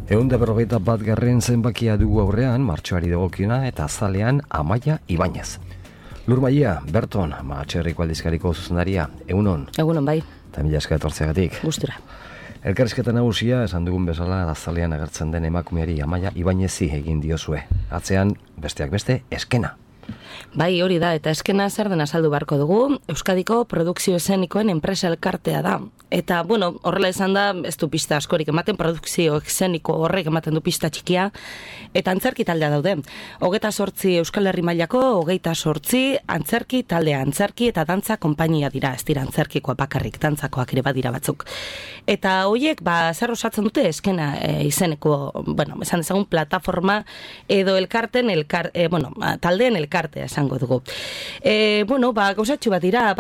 151. zenbakia dugu aurrean, martxoari dagokiona eta azalean Amaia Ibañez. Lur Maia, Berton, Matxerriko aldizkariko zuzendaria, egunon. Egunon, bai. Eta mila esker etortzeagatik. Gustura. Elkarrizketa nagusia, esan dugun bezala, azalean agertzen den emakumeari Amaia Ibañezi egin diozue. Atzean, besteak beste, eskena. Bai, hori da, eta eskena zer den azaldu beharko dugu, Euskadiko Produkzio Eszenikoen enpresa elkartea da. Eta, bueno, horrela izan da, ez du pista askorik ematen, produkzio eszeniko horrek ematen du pista txikia, eta antzerki taldea daude. 28 Euskal Herri mailako, 28 antzerki taldea, antzerki eta dantza konpainia dira, ez dira antzerkikoa bakarrik, dantzakoak ere badira batzuk. Eta horiek, zer osatzen dute eskena izeneko, bueno, esan dezagun plataforma edo elkarten, taldeen elkartea esango dugu. Gauzatxu badira,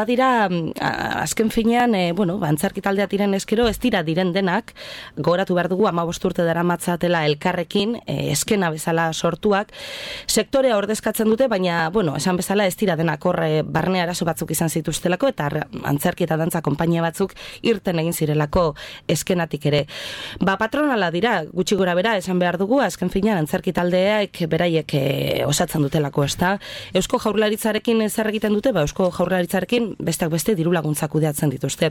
azken finean, antzerki taldea diren eskero, ez dira diren denak, gogoratu behar dugu 15 urte daramatzatela elkarrekin, eskena bezala sortuak, sektorea ordezkatzen dute, baina, esan bezala ez dira denak horre barne arazo batzuk izan zituztelako, eta antzerki eta dantza konpainia batzuk irten egin zirelako eskenatik ere. Patronala dira, gutxi gora bera, esan behar dugu, azken finean antzerki taldeak beraiek osatzen dutelako, ez da. Eusko Jaurlaritzarekin zer egiten dute, Eusko Jaurlaritzarekin besteak beste diru laguntzak kudeatzen dituzte.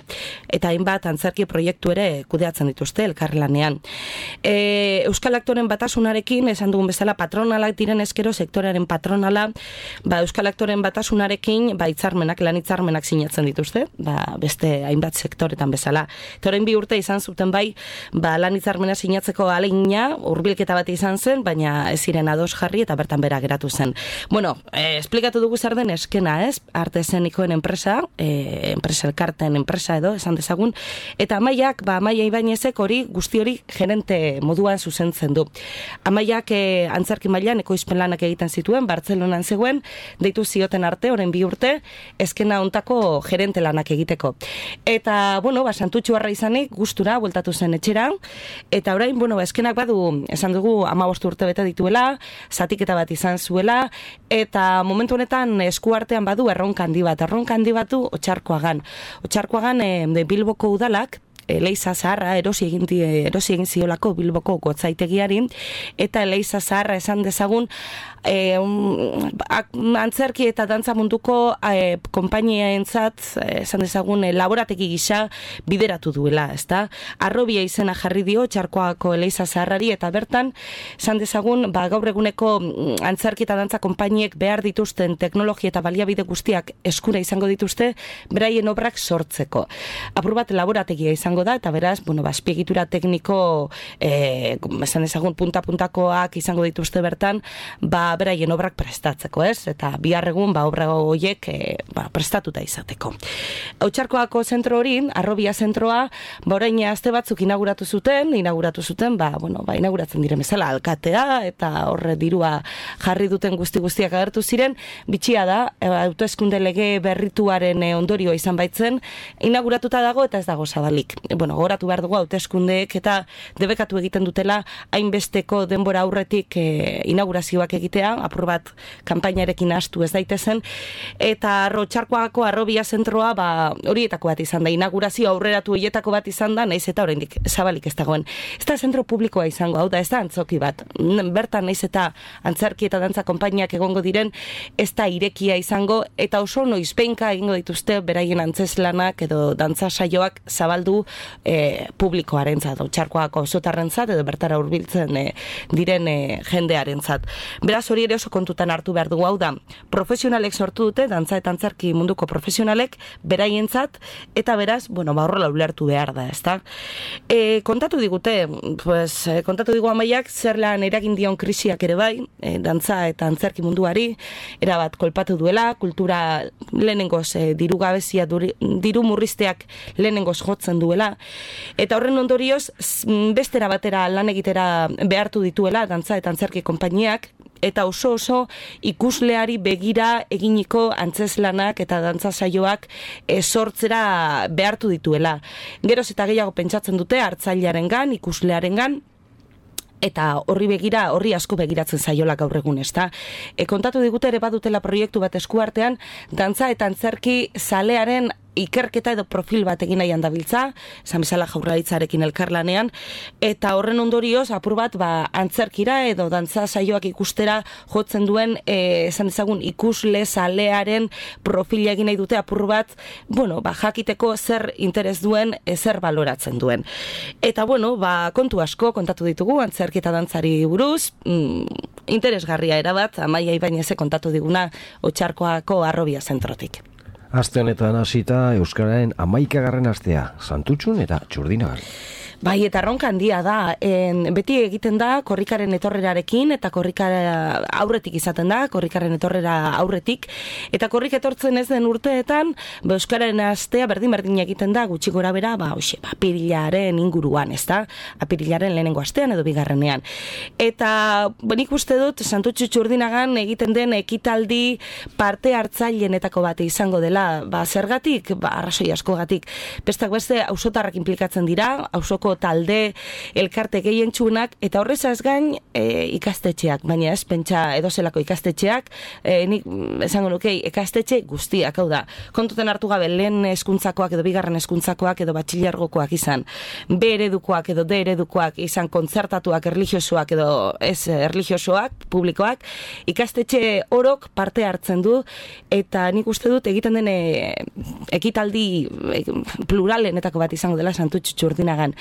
Eta hainbat antzerki proiektu ere kudeatzen dituzte elkarlanean. Euskal Aktoren Batasunarekin, esan dugun bezala patronalak diren eskero, sektorearen patronala, Euskal Aktoren Batasunarekin lan hitzarmenak sinatzen dituzte, beste hainbat sektoretan bezala. Toren 2 urte izan zuten lan hitzarmena sinatzeko ahalegina, hurbilketa bat izan zen, baina ez ziren ados jarri eta bertan bera geratu zen. Esplikatu dugu zer den eskena, ez? Arte eszenikoen enpresa, enpresa elkarten enpresa edo, esan dezagun, eta Amaiak, Amaia Ibañezek guzti hori gerente moduan zuzentzen du. Amaiak antzerki mailan ekoizpen lanak egiten zituen, Bartzelonan zegoen, deitu zioten arte, orain 2 urte, eskena hontako gerente lanak egiteko. Eta, santutxu harra izanik, gustura, bueltatu zen etxera, eta orain, eskenak badu, esan dugu, 15 urte bete dituela, zatiketa bat izan zuela, eta momentu honetan eskuartean badu erronka handi batu Otxarkoagan Bilboko udalak Eleiza Zaharra erosi egin ziolako Bilboko gotzaitegiari, eta Eleiza Zaharra esan dezagun antzerki eta dantza munduko konpainiaentzat esan dezagun laborategi gisa bideratu duela, ezta? Arrobia izena jarri dio Txarkoako Eleiza Zaharrari, eta bertan esan dezagun gaur eguneko antzerki eta dantza konpainiek behar dituzten teknologia eta baliabide guztiak eskura izango dituzte beraien obrak sortzeko. Apur bat laborategia izango da, eta beraz, azpiegitura tekniko esan dezagun punta-puntakoak izango dituzte bertan, beraien obrak prestatzeko, ez? Eta bihar egun obra horiek prestatuta izateko. Otxarkoako zentro hori, Arrobia zentroa, orain aste batzuk inauguratu zuten, inauguratzen diren bezala alkatea, eta horre dirua jarri duten guztiak agertu ziren, bitxia da, hauteskunde lege berrituaren ondorioa izan baitzen, inauguratuta dago eta ez dago zabalik. Gogoratu behar dugu hauteskundeek eta debekatu egiten dutela hainbesteko denbora aurretik inaugurazioak egitea, apur bat kanpainarekin hastu ez daitezen, eta Otxarkoako Arrobia zentroa horietako bat izan da, inaugurazio aurreratu horietako bat izan da, naiz eta oraindik zabalik ez dagoen. Ez da zentro publikoa izango, hau da, ez da antzoki bat. Bertan naiz eta antzerki eta dantza konpainiak egongo diren, ez da irekia izango, eta oso noizbeinka egingo dituzte beraien antzeslanak edo dantza saioak zabaldu publikoarentzat, Otxarkoako auzotarrentzat edo bertara hurbiltzen diren jendearentzat. Beraz, hori ere oso kontutan hartu behar dugu, hau da, profesionalek sortu dute, dantza eta antzerki munduko profesionalek beraientzat, eta beraz, horrela ulertu behar da, ezta? Kontatu digu Amaiak zer lan eragin dion krisiak ere bai, dantza eta antzerki munduari, erabat kolpatu duela, kultura lehenengoz diru gabezia, diru murrizteak lehenengoz jotzen duela, eta horren ondorioz bestera batera lan egitera behartu dituela dantza eta antzerki konpainiak, eta oso ikusleari begira eginiko antzeslanak eta dantza saioak sortzera behartu dituela. Geroz eta gehiago pentsatzen dute hartzailearengan, ikuslearengan, eta horri asko begiratzen zaiola gaur egun, ezta. Kontatu digute ere badutela proiektu bat eskuartean, dantza eta antzerki zalearen ikerketa edo profil bat egin nahian dabiltza, esan bezala Jaurlaritzarekin elkarlanean, eta horren ondorioz apur bat antzerkira edo dantza saioak ikustera jotzen duen esan dezagun ikusle zalearen profila egin nahi dute apur bat, jakiteko zer interes duen, zer baloratzen duen. Eta kontu asko kontatu ditugu antzerki eta dantzari buruz, interesgarria erabat, Amaia Ibañezek kontatu diguna Otxarkoako Arrobia zentrotik. Aste honetan hasita Euskararen 11. astea, Santutxun eta Txurdinagan. Bai, eta erronka handia da, beti egiten da korrikaren etorrerarekin, eta korrikara aurretik izaten da, korrikaren etorrera aurretik, eta korrik etortzen ez den urteetan, Euskararen astea berdin egiten da, gutxi gora bera, apirilaren inguruan, ez da? Apirilaren lehenengo astean edo bigarrenean. Eta, nik uste dut, Santutxu Txurdinagan egiten den ekitaldi parte hartzailenetako bat izango dela, zergatik, arrazoi askogatik, bestak beste, auzotarrak inplikatzen dira, auzoko talde elkarte gehientsunak, eta horrezaz gain ikastetxeak, baina ez pentsa edozelako ikastetxeak, nik esango nuke ikastetxe guztiak, hau da, kontuten hartu gabe lehen hezkuntzakoak edo bigarren hezkuntzakoak edo batxilergokoak izan, B eredukoak edo D eredukoak izan, kontzertatuak erlijiosoak edo ez erlijiosoak, publikoak, ikastetxe orok parte hartzen du, eta nik uste dut egiten den ekitaldi pluralenetako bat izango dela Santutxu Txurdinagan.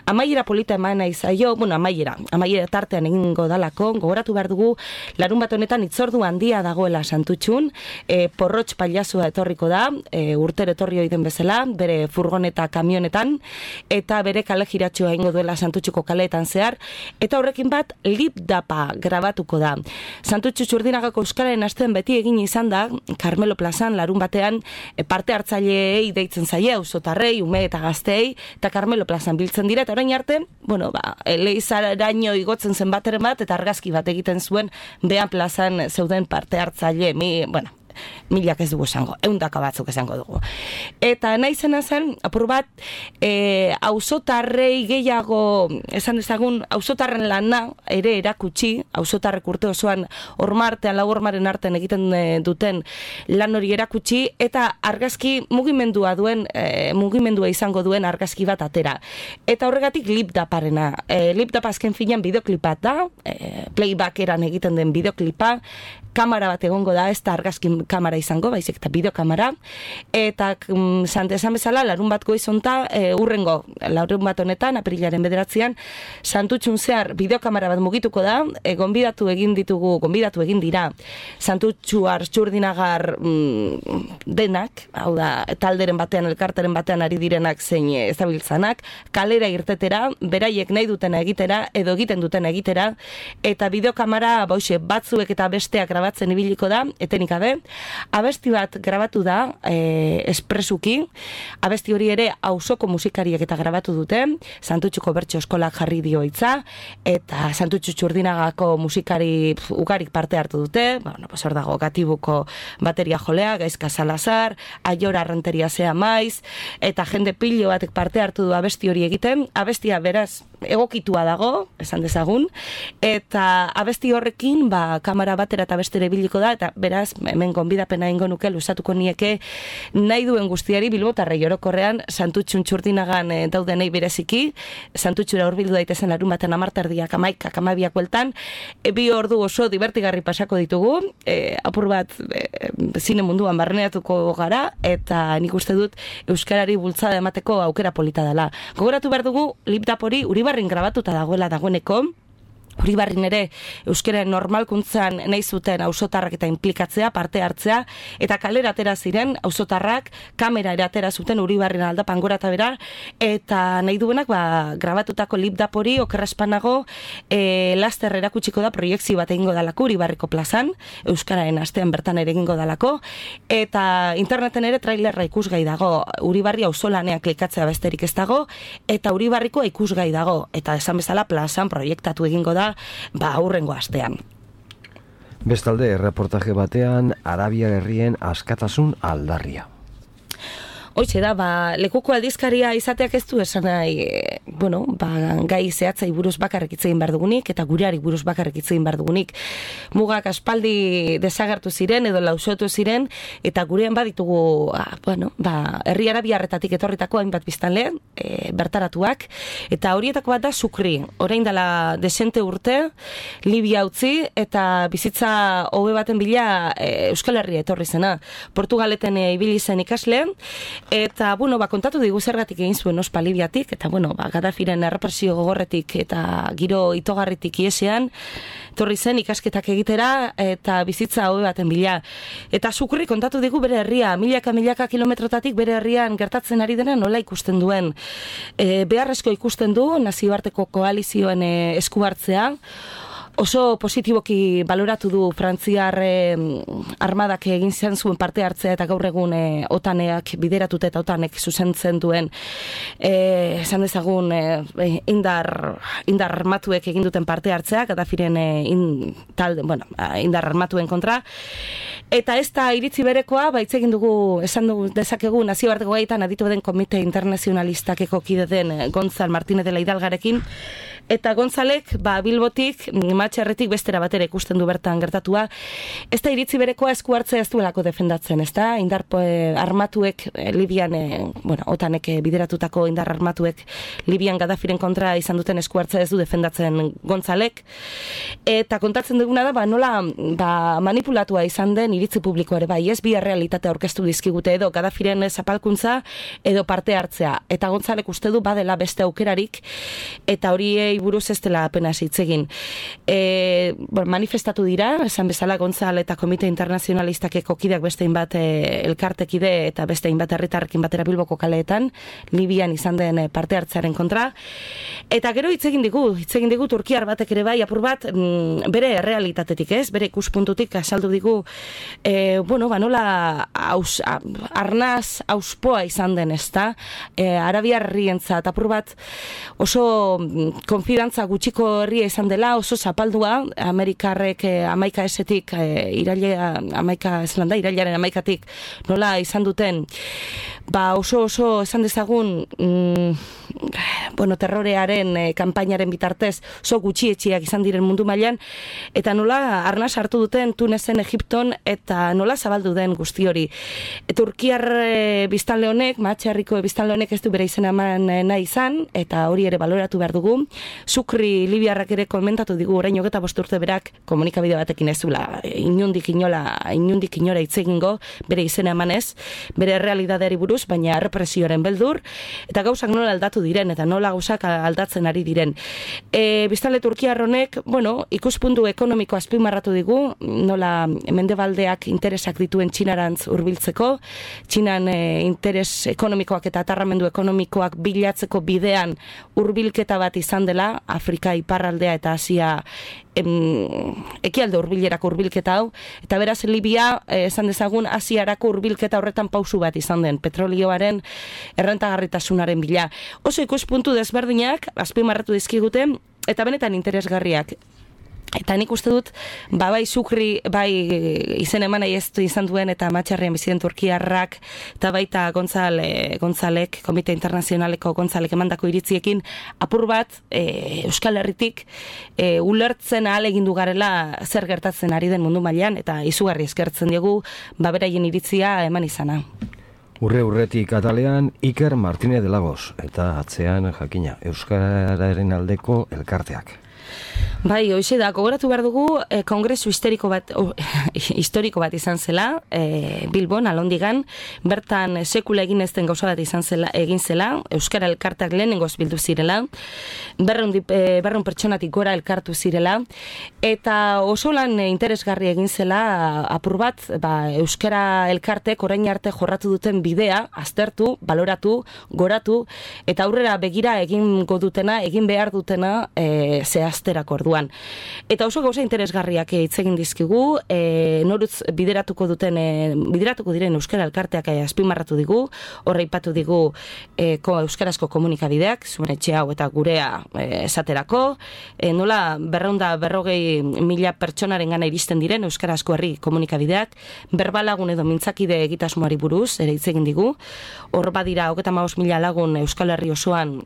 Amaiera polita eman nahi zaio, amaiera tartean egingo dalako, gogoratu behar dugu, larun bat honetan itzordu handia dagoela Santutxun, porrotx pailasua etorriko da, urtero etorri oiden bezala, bere furgoneta kamionetan, eta bere kale jiratxoa egingo duela Santutxuko kaleetan zehar, eta horrekin bat lip-dapa grabatuko da. Santutxu Txurdinagako Euskararen astean beti egin izan da, Carmelo plazan larun batean parte hartzaileei deitzen zaie, auzotarrei, ume eta gazteei, eta Carmelo plazan biltzen dira, eta orain arte, Eleizaraino igotzen zen bateren bat, eta argazki bat egiten zuen behan plazan zeuden parte hartzaile, milak ez dugu esango, 100 batzuk esango dugu. Eta nahi zena zen, apur bat, auzotarrei gehiago, esan dezagun, auzotarren lana ere erakutsi, auzotarrek urte osoan ormartean, lau ormaren artean egiten duten lan hori erakutsi, eta argazki mugimendua izango duen argazki bat atera. Eta horregatik lip-daparena. Lip-dapa azken finean bideoklipa da, playbackeran egiten den bideoklipa, kamera bat egongo da, ez da argazki kamera izango, baizik eta bideokamera, eta esan bezala, larun bat goizonta, urrengo, larun bat honetan, apirilaren 9, Santutxun zehar bideokamera bat mugituko da, gonbidatu egin dira, Santutxu Txurdinagar denak, hau da, talderen batean, elkarteren batean ari direnak zein ezabiltzanak, kalera irtetera, beraiek nahi dutena egitera, edo egiten dutena egitera, eta bideokamera, batzuek eta besteak grabatzen ibiliko da, etenik gabe, abesti bat grabatu da espresuki, abesti hori ere auzoko musikariek eta grabatu dute, Santutxuko Bertso Eskolak jarri dio hitza, eta Santutxu Txurdinagako musikari ugarik parte hartu dute, hor dago Gatibuko bateria jolea, Gaizka Salazar, Aiora Arrenteria Zea Maiz, eta jende pilo batek parte hartu du abesti hori egiten, abestia beraz egokitua dago, esan dezagun, eta abesti horrekin, kamera batera eta bestere biliko da, eta beraz, hemen gonbidapena ingo nuke, luzatuko nieke, nahi duen guztiari bilbotarrei orokorrean, Santutxun Txurdinagan daudenei bereziki, Santutxura hurbildu daitezen larun baten 10:00, 11:00 bueltan, 2 ordu oso divertigarri pasako ditugu, apur bat zine munduan barneatuko gara, eta nik uste dut euskarari bultzada emateko aukera polita dela. Gogoratu behar dugu, lip-dapori Uribarrin grabatuta dagoeneko, Uribarrin ere euskaren normalkuntzan nahi zuten auzotarrak eta inplikatzea, parte hartzea, eta kalera atera ziren auzotarrak, kamera ere atera zuten Uribarrin aldapan gora eta bera, eta nahi duenak grabatutako lip-dapori okerrespanago laster erakutsiko da proiektzio bat egingo dalako Uribarriko plazan, euskararen astean bertan ere egingo dalako, eta interneten ere trailerra ikusgai dago, Uribarri auzolanean klikatzea besterik ez dago, eta Uribarriko ikusgai dago, eta esan bezala plazan proiektatu egingo da aurrengo astean. Bestalde, reportaje batean, Arabiar herrien askatasun aldarria. Hoxe da, lekuko aldizkaria izateak ez du esan nahi, gai zehatzai buruz bakarrik hitz egin behar dugunik, eta gureari buruz bakarrik hitz egin behar dugunik. Mugak aspaldi desagertu ziren, edo lausotu ziren, eta gurean baditugu, herri arabiarretatik etorritako hainbat biztanle, bertaratuak, eta horietako bat da Sukri. Orain dela desente urte, Libia utzi, eta bizitza hobe baten bila Euskal Herria etorri zena. Portugaleten ibili zen ikasle, eta, kontatu digu zergatik egin zuen ospa Libiatik, eta, Gaddafiren errepresio gogorretik eta giro itogarritik iesean, etorri zen ikasketak egitera, eta bizitza hobe baten bila. Eta Sukri kontatu digu bere herria, milaka kilometrotatik bere herrian gertatzen ari dena nola ikusten duen. Beharrezko ikusten du, nazioarteko koalizioen esku hartzea, oso positiboki baloratu du Frantziar armadak egin zuen parte hartzea eta gaur egun OTANeak bideratuta eta OTANek zuzentzen duen esan dezagun indar armatuek egin duten parte hartzea, Gaddafiren indar armatuen kontra. Eta ez da iritzi berekoa, hitz egin dugu, esan dugu dezakegu nazioarteko gaitan aditu den Komite Internazionalistakeko kide den Gonzal Martínez de la Hidalgarekin, eta Gonzalek, Bilbotik, Matxarretik bestera batera ikusten du bertan gertatua. Ez da iritzi berekoa esku hartzea ez duelako defendatzen, ez da? Indar armatuek, Libian, OTANek bideratutako indar armatuek Libian Gaddafiren kontra izan duten esku hartzea ez du defendatzen Gonzalek. Eta kontatzen duguna da, nola manipulatua izan den iritzi publiko ere, ez bi errealitatea aurkeztu dizkigute edo Gaddafiren zapalkuntza edo parte hartzea. Eta Gonzalek uste du badela beste aukerarik, eta horiei buruz ez dela apenas hitz egin. Manifestatu dira, esan bezala Gonzal eta Komite Internazionalistakeko kideak beste hainbat elkartekide eta beste hainbat herritarrekin batera Bilboko kaleetan, Libian izan den parte hartzearen kontra. Eta gero hitz egin digu turkiar batek ere bai, apur bat, bere errealitatetik ez, bere ikuspuntutik asaldu digu, nola arnaz auspoa izan den ez da, arabiarrientzat, apur bat oso konfidantza gutxiko herria izan dela, oso zapaldua, Amerikarrek 11-etik irailaren 11-tik nola izan duten, oso esan dezagun terrorearen kanpainaren bitartez oso gutxietxiak izan diren mundu mailan, eta nola arnaz hartu duten Tunesen, Egipton, eta nola zabaldu den guzti hori. Turkiar biztanle honek, Matxarriko biztanle honek ez du bere izena eman nahi izan, eta hori ere baloratu behar dugu. Sukri Libiarrak ere komentatu digu orain 25 urte berak komunikabide batekin ez zula inundik inora hitz egingo bere izena emanez, bere errealitateari buruz, baina represioaren beldur, eta gauzak nola aldatu diren, eta nola gauzak aldatzen ari diren. Biztanle turkiar honek, ikuspuntu ekonomiko azpimarratu digu, nola mendebaldeak interesak dituen Txinarantz hurbiltzeko, Txinan interes ekonomikoak eta atarramendu ekonomikoak bilatzeko bidean hurbilketa bat izan dela, Afrika iparraldea eta Asia ekialde hurbilerako hurbilketa hau, eta beraz Libia esan dezagun Asiarako hurbilketa horretan pausu bat izan den, petrolioaren errentagarritasunaren bila. Oso ikuspuntu desberdinak azpimarratu dizkigute, eta benetan interesgarriak. Eta nik uste dut, bai Sukri, bai izen eman nahi ez izan duen eta Matxarrian biziden turkiarrak, eta baita Gonzalek, Komite Internazionaleko Gonzalek emandako iritziekin, apur bat Euskal Herritik ulertzen ahal egindu garela zer gertatzen ari den mundu mailan, eta izugarri eskertzen diegu, beraien iritzia eman izana. Urretik atalean Iker Martínez de Lagos, eta atzean jakina, Euskararen aldeko elkarteak. Bai, hoxe da, gogoratu behar dugu kongresu historiko bat izan zela, Bilbon, Alondigan, bertan sekula egin ez den gauza bat egin zela, Euskara elkarteak lehenengoz bildu zirela, 200 pertsonatik gora elkartu zirela, eta oso lan interesgarri egin zela, apur bat, Euskara elkartek orain arte jorratu duten bidea, aztertu, baloratu, goratu, eta aurrera begira egin behar dutena zehazterako orduan. inguruan. Eta oso gauza interesgarriak hitz egin dizkigu, norutz bideratuko diren euskara elkarteak azpimarratu digu, horre ipatu digu euskarazko komunikabideak, zuen etxe hau eta gurea esaterako, nola 240.000 pertsonaren gana iristen diren euskarazko herri komunikabideak, berbalagun edo mintzakide egitasmoari buruz, ere hitz egin digu, hor badira 35.000 lagun Euskal Herri osoan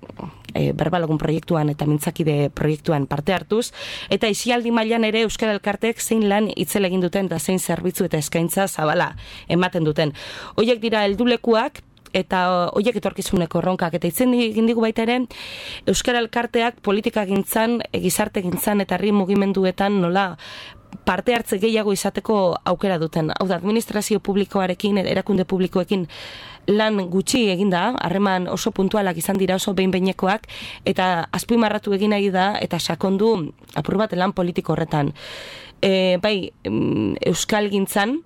berbalagun proiektuan eta mintzakide proiektuan parte hartuz, eta isialdi mailan ere euskara elkartek zein lan itzela egin duten eta zein zerbitzu eta eskaintza zabala ematen duten. Hoiek dira heldulekuak eta hoiek etorkizuneko erronkak, eta itzen egin digu baita ere euskara elkarteak politika gintzan, gizarte gintzan eta herri mugimenduetan nola parte hartze gehiago izateko aukera duten. Hau da, administrazio publikoarekin, erakunde publikoekin lan gutxi eginda, harreman oso puntualak izan dira, oso behin-behinekoak, eta azpimarratu egin nahi da, eta sakondu apur bat lan politiko horretan. Bai, euskal gintzan,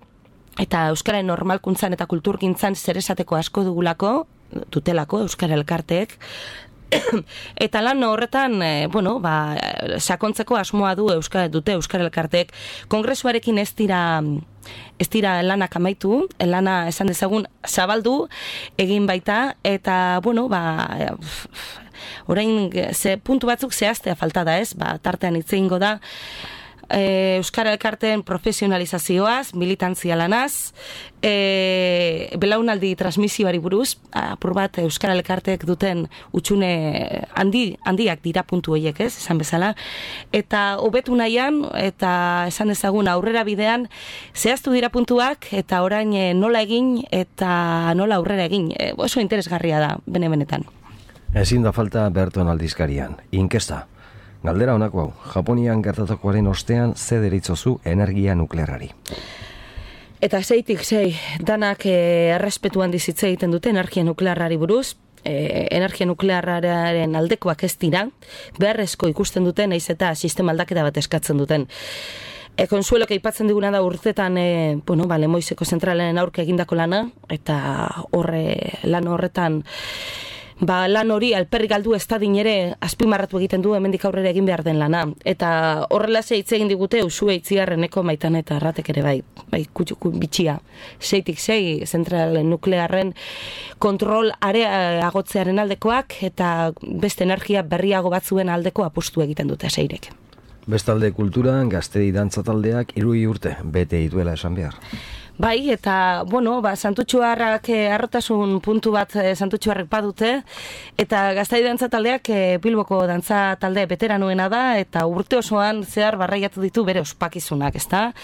eta euskaren normalkuntzan eta kulturgintzan zer esateko asko dutelako euskara elkarteek, eta lan horretan, sakontzeko asmoa dute euskara elkarteek. Kongresuarekin ez dira lanak amaitu, lana esan dezagun zabaldu egin baita, eta, orain puntu batzuk zehaztea falta da ez, tartean hitz egingo da, euskara elkarteen profesionalizazioaz, militantzia lanaz, belaunaldi transmisioari buruz, apur bat euskara elkarteek duten utxune handiak dira puntu horiek, ez, esan bezala, eta hobetu nahian, eta esan dezagun aurrera bidean, zehaztu dira puntuak, eta orain nola egin, eta nola aurrera egin, oso interesgarria da, benetan. Ezin da falta Berton aldizkarian, inkesta. Galdera honako hau, Japonian gertatakoaren ostean ze deritzozu energia nuklearrari? Eta zeitik danak errespetuan dizitze egiten dute energia nuklearrari buruz, energia nuklearraren aldekoak ez dira, beharrezko ikusten duten, naiz eta sistema aldaketa bat eskatzen duten. Konsuelok aipatzen diguna da urtetan, Lemoizeko zentralen aurka egindako lana, eta lan horretan, lan hori alperrik galdu ez da dinere azpimarratu egiten du hemendik aurrera egin behar den lana. Eta horrela hitz egin digute usue itziarreneko Maitan eta Arratek ere bai bitxia. Zeitik zentral nuklearren kontrol areagotzearen aldekoak eta beste energia berriago batzuen aldeko apustu egiten dute Seirek. Bestalde kulturan gaztedi dantza taldeak 3 urte bete dituela esan behar. Bai, eta, Santutxuarrak arrotasun puntu bat Santutxuarrek badute, eta gaztai dantza taldeak Bilboko dantza talde veteranoena da, eta urte osoan zehar barraiatu ditu bere ospakizunak, ezta?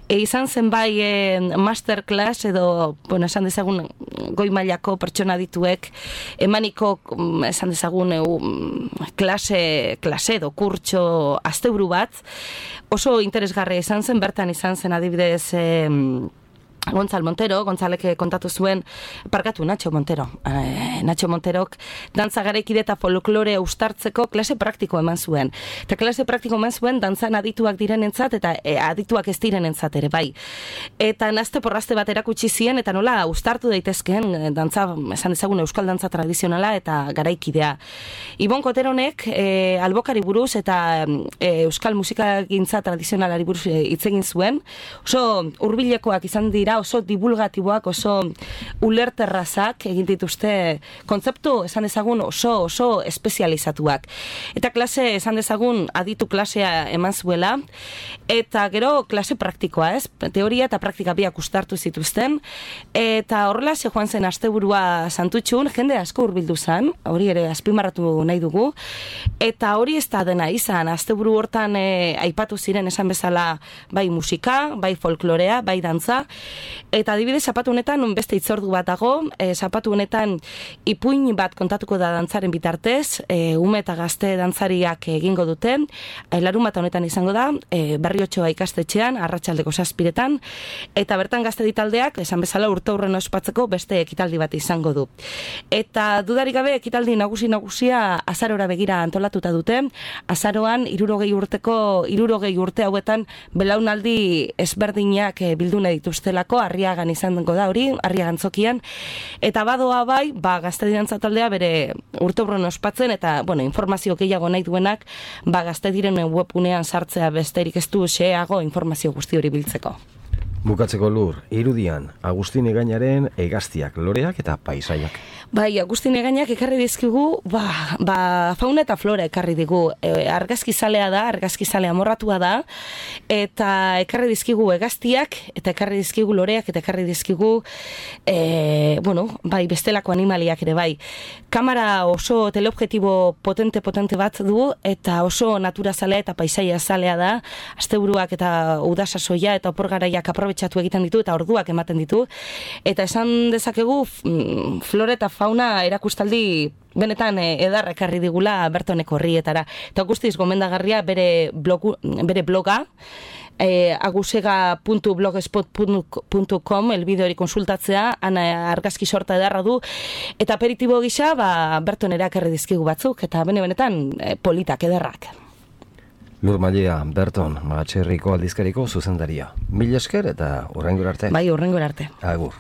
Izan zen bai masterclass edo, esan dezagun goi mailako pertsona dituek, emaniko, esan dezagun klase edo kurtso asteburu bat, oso interesgarria izan zen, bertan izan zen adibidez Gontzalek kontatu zuen, Nacho Monterok dantza garaikide eta folklore ustartzeko klase praktiko eman zuen. Eta klase praktiko eman zuen dantzan adituak direnentzat eta adituak ez direnentzat ere bai. Eta nazte porrazte bat erakutsi zien eta nola ustartu daitezkeen dantza, esan dezagun euskal dantza tradizionala eta garaikidea. Ibon Koteronek albokari buruz eta euskal musikagintza tradizionalari buruz hitz egin zuen. Oso hurbilekoak izan dira, oso divulgatiboak, oso ulerterrazak egin dituzte kontzeptu, esan dezagun, oso espezializatuak. Eta klase, esan dezagun, aditu klasea eman zuela, eta gero klase praktikoa, ez? Teoria eta praktika biak ustartu zituzten, eta horrela joan zen asteburua Santutxun, jende asko hurbildu zen, hori ere azpimarratu nahi dugu, eta hori ez da dena izan, asteburu hortan aipatu ziren esan bezala bai musika, bai folklorea, bai dantza, eta adibidez zapatu honetan beste hitzordu bat dago, zapatu honetan ipuin bat kontatuko da dantzaren bitartez, ume eta gazte dantzariak egingo dute, larunbat honetan izango da, Berriotxoa ikastetxean, arratsaldeko 7:00, eta bertan gazte ditaldeak, esan bezala urteurren ospatzeko beste ekitaldi bat izango du. Eta dudarik gabe ekitaldi nagusia azarora begira antolatuta dute, azaroan 60 urte hauetan belaunaldi ezberdinak bildu nahi dituztelako, Arriagako, Arriagan izango da hori, Arriagan zokian, eta badoa bai, Gaztedi Dantza taldea bere urteurren ospatzen, eta, informazio gehiago nahi duenak, Gaztediren webgunean sartzea besterik ez du xeago informazio guzti hori biltzeko. Bukatzeko Lur, irudian, Agustin Egainaren hegaztiak, loreak eta paisaiak. Bai, Agustin Egainak ekarri dizkigu, fauna eta flora ekarri digu. Argazkizalea da, argazkizale amorratua da, eta ekarri dizkigu hegaztiak, eta ekarri dizkigu loreak, eta ekarri dizkigu, bestelako animaliak ere bai. Kamera oso teleobjektibo potente bat du, eta oso naturazalea eta paisaia zalea da, asteburuak eta udasasoia eta oporgaraiak aprobetxatu egiten ditu, eta orduak ematen ditu, eta esan dezakegu flora eta fauna erakustaldi benetan edarra ekarri digula Bertoneko horrietara. Eta guztiz gomendagarria bere bloga, agusega.blogspot.com elbide hori konsultatzea, argazki sorta edarra du, eta aperitibo gisa Bertonera ekarri dizkigu batzuk, eta benetan politak edarrak. Lur Mallea, Berton, Malatxerriko aldizkariko zuzendaria. Mila esker eta hurrengora arte. Bai, hurrengora arte. Agur.